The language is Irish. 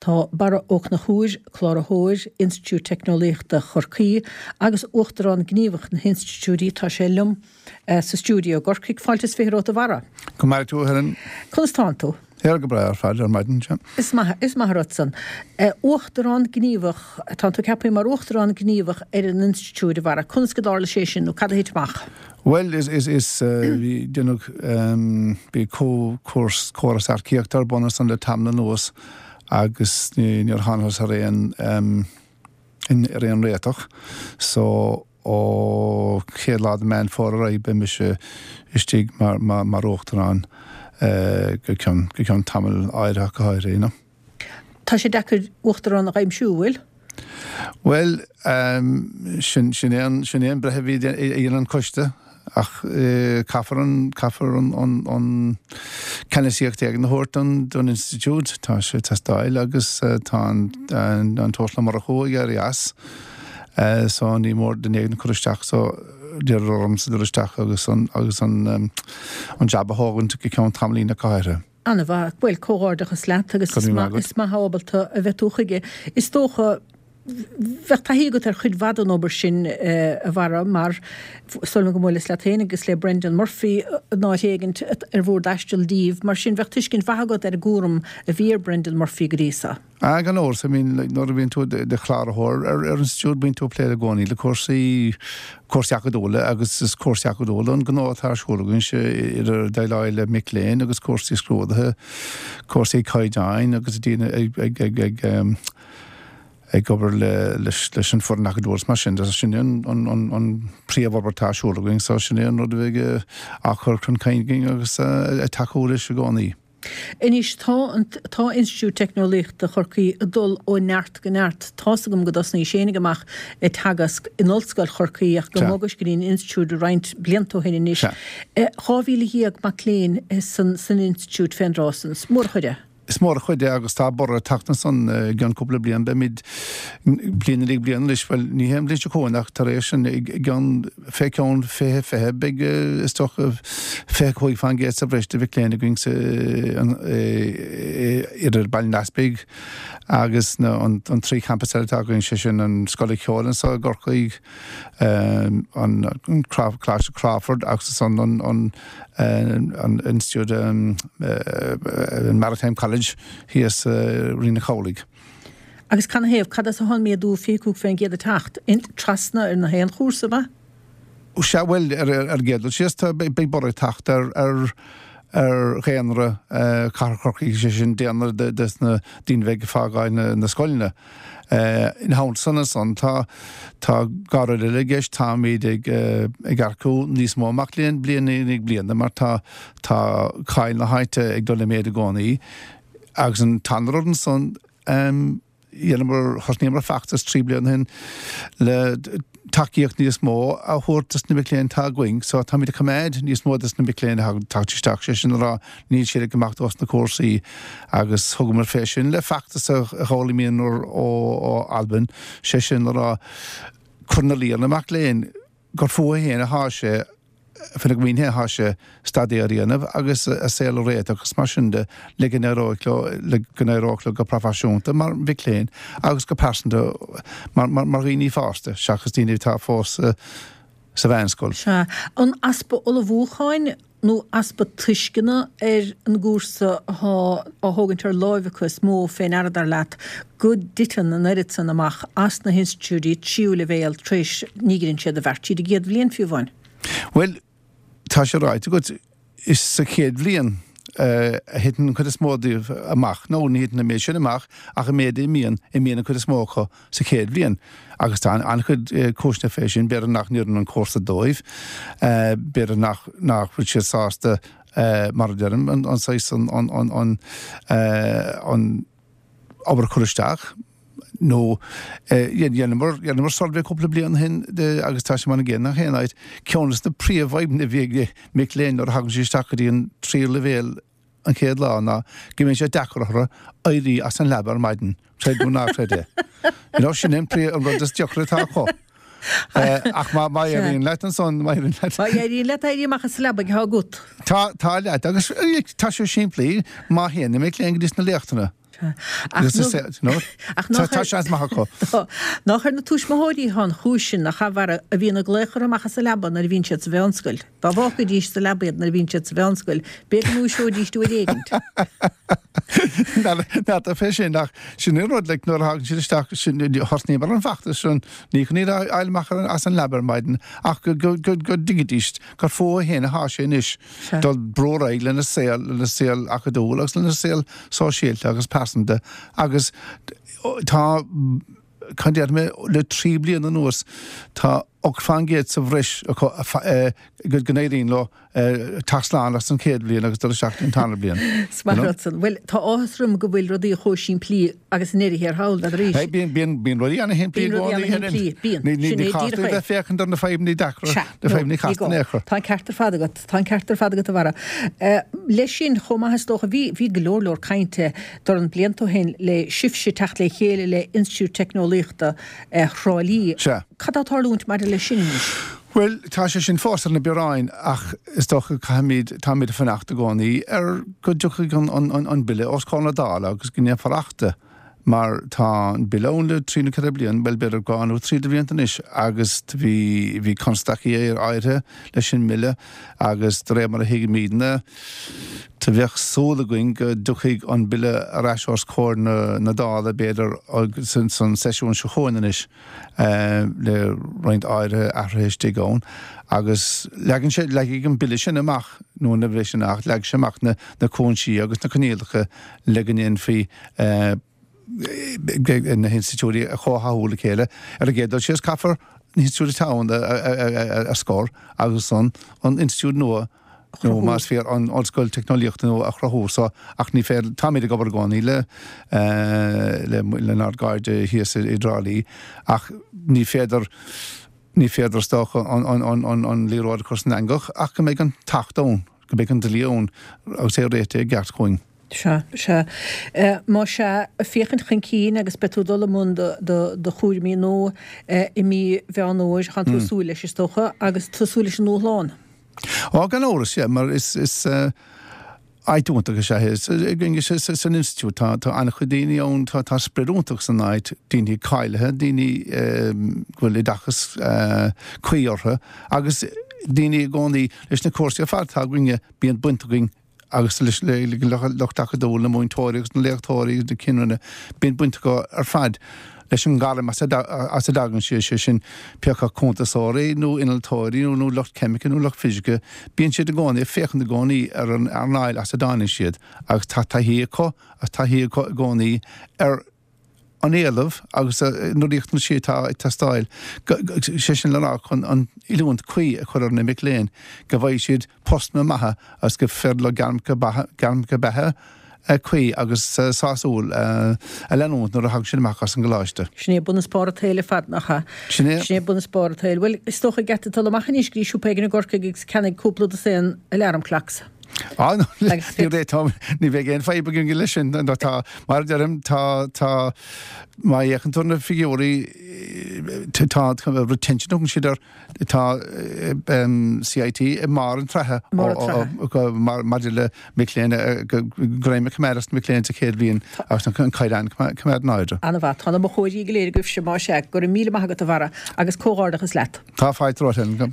Tá Barra Ó Conchúir, Cláraitheoir, Institiúid Teicneolaíochta Chorcaí agus Uachtarán Gníomhach na hInstitiúidí, tá sé liom sa stiúideo i gCorcaigh. Fáilte is 20 romhat a Bharra. Go maire tú a Helen. Conas tánn tú? Here go breá ar fad ar maidin, sea. Is maith, is maith an rud san. Uachtarán Gníomhach, tánn tú ceaptha mar Uachtarán Gníomhach ar an Institiúid, a Bharra. Conas go dtarla sé sin nó cad a thit amach? Bhuel, is, is, is, bhí, déanadh, bhí córas, córas earcaíochta ar bun ansan le tamall anuas agus níor thángthas ar aon, ar aon réiteach. So, ó chéad lá de Meán Fómhair ar aghaidh beidh mise istigh mar, mar, mar Uachtarán go ceann, go ceann tamaill áirithe ach go háirithe, you know. Tá sé deacair Uachtarán a aimsiú, bhfuil? Bhuel, sin, sin é an, sin é an breith a bhí a dhein an coiste ach caithfear an, caithfear an, an, an ceannasaíocht éigin a thabhairt don, don institiúid. Tá sé ag teastáil agus tá an, an, an tUasal Ó Murchú ag éirí as so ní mór duine éigin a chur isteach so d'iarradar ormsa dul isteach agus an, agus an, an jab a thógaint go ceann tamaillín ach go háirithe. An-mhaith. Bhuel, comhghairdeachas leat agus is maith, is maith ábalta a bheith tú chuige. Is dócha, bheadh taithí agat ar chuid mhaith den obair sin, a Bharra, mar is dóigh liom go mbuaileas leat féin agus le Brendan Murphy in áit éigint ar bhur dtaisteal díbh. Mar sin, bheadh tuiscint mhaith agat ar an gcúram a bhí ar Brendan Murphy go dtí so. Ah, gan amhras, I mean, like, nuair a bhíonn tú i do chláraitheoir ar ar institiúid, bíonn tú ag plé i gcónaí le cúrsaí, cúrsaí acadúla agus is cúrsaí acadúla an gnó atá ar siúl againn, idir déileáil le mic léinn agus cúrsaí scrúdaithe, cúrsaí caighdeáin agus daoine ag, ag, ag, ag, em, ag obair le, leis, leis an foireann acadúil is mar sin de. Sin é an, an, an, an príomhobair atá ar siúl againn, so sin é an rud a bheidh á chur chun cinn againn agus ag tacú leis i gcónaí. Anois tá an tá Institiúid Teicneolaíochta Chorcaí ag dul ó neart go neart. Tá's agam go dtosnaís fhéinig amach ag teagasc in Ollscoil Chorcaí ach go mbogais go dtí an Institiúid roinnt blianta ó shin anois. 12,000 mac léinn san san Institiúid fén dtráth san. Is mór an chuid é. Is mór an chuid é agus tá borradh ag teacht ansan i gceann cúpla bliain. Beimid bliain i ndiaidh bliana anois, bhuel ní hé an bhliain seo chugainn ach tar éis sin i gceann fé cheann 2020 beidh is dócha 25% sa bhreis de mhic léinn againn sa idir Baile an Easpaig agus na an 3 champas eile atá againn, sé sin an Scoil Cheoil anseo i gCorcaigh, an Coláiste Crawford agus ansan an an an Institiúid an Maritime College thíos i Rinn an Chabhlaigh. Agus canathaobh, cad as a thá'n méadú 25% ag teacht? Trasna ar na haon chúrsa, ab ea? Sea, bhuel, ar an gcéad dul síos, tá, beidh borradh ag teacht ar, ar, ar dhaonra Chathair Chorcaí, sé sin, daonra de, des na daoine a bheidh ag fágáil na, na scoileanna. Ina theannta san ansan, tá, tá dhá rud eile i gceist, táimid ag, ag earcú níos mó mac léinn bliain i ndiaidh bliana mar tá, tá cáil na háite ag dul i méid i gcónaí. Agus an tarna rud ansan, Dheineamar, thosnaíomar feachtas 3 bliana ó shin le tacaíocht níos mó a thabhairt dos na mic léinn atá againn. So táimid ag coimeád níos mó dos na mic léinn atá ag teacht isteach, sé sin a rá níl siad ag imeacht ós na cúrsaí agus thugamar fé sin le feachtas a dh'fhoghlaimíomar ó Albain, sé sin le rá cur ina luí ar na mac léinn gur fúthu féin atá sé Faoina gcuing féin atá sé staidéar a dhéanamh agus a saol a réiteach agus mar sin de le go n-éireoidh leo, le go n-éireoidh leo go proifisiúnta mar mhic léinn agus go pearsanta mar, mar, mar dhaoine fásta seachas daoine atá fós sa mheánscoil. Sea. An easpa ullmhúcháin nó easpa tuisceana ar an gcúrsa atá á thógaint ar láimh acu is mó fé ndeara, dar leat, go dtiteann an oiread san amach as na hinstitiúidí tríú leibhéal tar éis, ní dheineann siad a bheart tríd an gcéad bhliain fiú amháin? Bhuel, tá sé ráite agat, is sa chéad bhliain a thiteann an chuid is mó díobh amach, nó ní thiteann an méid sin amach ach an méid a imíonn, imíonn an chuid is mó acu sa chéad bhliain. Agus tá an-chuid cúiseanna fé sin, b'fhéidir nach n-oireann an cúrsa dóibh, b'fhéidir nach nach bhfuil siad sásta, mar a deirim, an saghas, an, an, an, an obair a chur isteach. Nó dheineamar, dheineamar suirbhé cúpla bliain ó shin de agus tá sé mar an gcéanna gach aon áit, ceann des na príomhfhadhbanna a bhí ag mic léinn nuair a thagann siad isteach go dtí an tríú leibhéal an chéad lá ná go mbíonn sé deacair orthu éirí as an leaba ar maidin, creid nó ná creid é. You know, sin é an príomh, an rud is deacra atá acu. Ach má, má éiríonn leat ansan, má éiríonn leat. Má éiríonn leat éirí amach as an leabaidh, tá agat. Tá, tá leat agus tá sé simplí, má théann na mic léinn go dtí sna léachtanna. Ach tá seans maith acu. Nach ar na tuismitheoirí atá an chúis sin, nach ea, a Bharra, a bhíonn ag glaoch orthu amach as an leaba nuair a bhíonn siad sa mheánscoil. Dá bhfágfaidís sa leaba iad nuair a bhíonn siad sa mheánscoil, b'fhéidir go ndúiseoidís uair éigint. N'fheadar fé sin, ach sin an rud, like, nuair a thagann siad isteach, sin, thosnaíomar an feachtas sin, ní chun iad a fháil amach as an leaba ar maidin, ach go, go, go, go dtuigfidís gur fúthu féin atá sé anois dul brú ar aghaidh lena saol, lena saol acadúil agus lena saol sóisialta agus pearsanta agus tá, cad déarfaidh mé, le 3 bliana anuas tá 8% sa bhreis acu go n-éiríonn leo teacht slán as an chéad bhliain agus dul isteach an tarna bliain. Is maith rud san. Bhuel, tá áthas orm go bhfuil rudaí chomh simplí agus a ndéarfaí ar thall, n'fheadar arís. Bíonn, bíonn, bíonn rudaí ana-shimplí i gcónaí. Bíonn rudaí ana-shimplí, bíonn. Ní, ní, ní chaithfidh tú a bheith féachaint ar na fadhbanna deacra, na fadhbanna casta in aon chor. Tá an ceart ar fad agat, tá an ceart ar fad agat, a Bharra. Leis sin chomh maith is dócha, bhí, bhí go leor leor cainte dornán blianta ó shin le sibhse teacht le chéile le Institiúid Teicneolaíochta Thrá Lí. Sea. Cad tá ag tarlúint maidir leis sin anois? Bhuel, tá sé sin fós ar na bioráin ach is dócha caithfimid, táimid ag fanacht i gcónaí ar go dtiocfaidh an, an, an Bille os comhair na Dála agus go ndéanfar Acht de mar tá an Bille ann le trí nó ceithre bliana, bhuel b'fhéidir dhá nó trí de bhlianta anois agus bhí, bhí constaicí áirithe leis an mBille agus de réir mar a thuigimidne, Do bheadh súil againn go dtiocfaidh an Bille ar ais os comhair na Dála, b'fhéidir, san seisiún seo chugainn anois, le roinnt áirithe athruithe istigh ann. Agus leagann sé, leagfaidh an Bille sin amach, nó nuair a bheidh sé ina Acht, leagfaidh sé amach na cúinsí agus na coinníollacha le go ndéanfaí na hinstitiúidí a chomhtháthú le chéile. Ar an gcéad dul síos, caithfear na hinstitiúidí atá ann a scor agus an institiúid nua nó más fíor an Ollscoil Teicneolaíochta nua a chruthú so ach ní féidir, táimid ag obair i gcónaí le le lenár gcairde thíos i dTrá Lí ach ní féidir ní féidir is dócha an an an an an liathróid a chur san eangach ach go mbeidh an tAcht ann, go mbeidh an dlí ann agus é réitithe i gceart chugainn. Sea, sea. Más ea, féachaint chun cinn agus beidh tú ag dul i mbun do chúraimí nua i mí Mheán Fhómhair, tánn tú ag súil leis, is dócha, agus tú ag súil leis an ndúshlán. Á, gan amhras, yeah, mar is, is áit iontach is ea é. Againn san institiúid, tá, tá an-chuid daoine ann, tá, tá sprid iontach san áit, daoine cáilithe, daoine go bhfuil oideachas cuí orthu agus daoine i gcónaí leis na cúrsaí ar fad atá againne, bíonn baint againn agus leis an lucht acadúil, na múinteoirí agus na léachtóirí agus na cinn roinne, bíonn baint acu ar fad leis an ngairm as a dtagann siad, sé sin, pé acu cuntasóirí nó innealtóirí nó lucht ceimice nó lucht fisice, bíonn siad i gcónaí ag féachaint i gcónaí ar an earnáil as a dtáinig siad agus tá taithí acu agus taithí acu i gcónaí ar an éileamh agus na riachtanaisí atá ag teastáil, sé sin le rá chun an oiliúint cuí a chur ar na mic léinn go bhfaighidh siad postanna maithe agus gur féidir leo gairmeacha beatha cuí agus sásúil a leanúint nuair a thagann siad amach as an gcoláiste. Sin é bun is barr an tsaoil ar fad, nach ea? Sin é. Sin é bun is barr an tsaoil. Bhuel, is dócha go gcaithfidh tú dul amach anois go dtí siopa éigin i gCorcaigh agus ceannaigh cúpla dosaen alarm clocks. Á, ní réiteoidh, ní bheidh aon fadhb againn leis sin. Nó tá, mar a deirim, tá, tá, má fhéachann tú ar na figiúirí, tá, retention a thugann siad air, tá CIT i mbarr an tsraithe maidir le mic léinn, greim a choimeád as na mic léinn sa chéad bhliain agus an caighdeán a choimeád in airde. An-mhaith. Tá na mochóirí go léir agaibhse, más ea. Go raibh míle maith agat, a Bharra, agus comhghairdeachas leat. Tá fáilte romhat.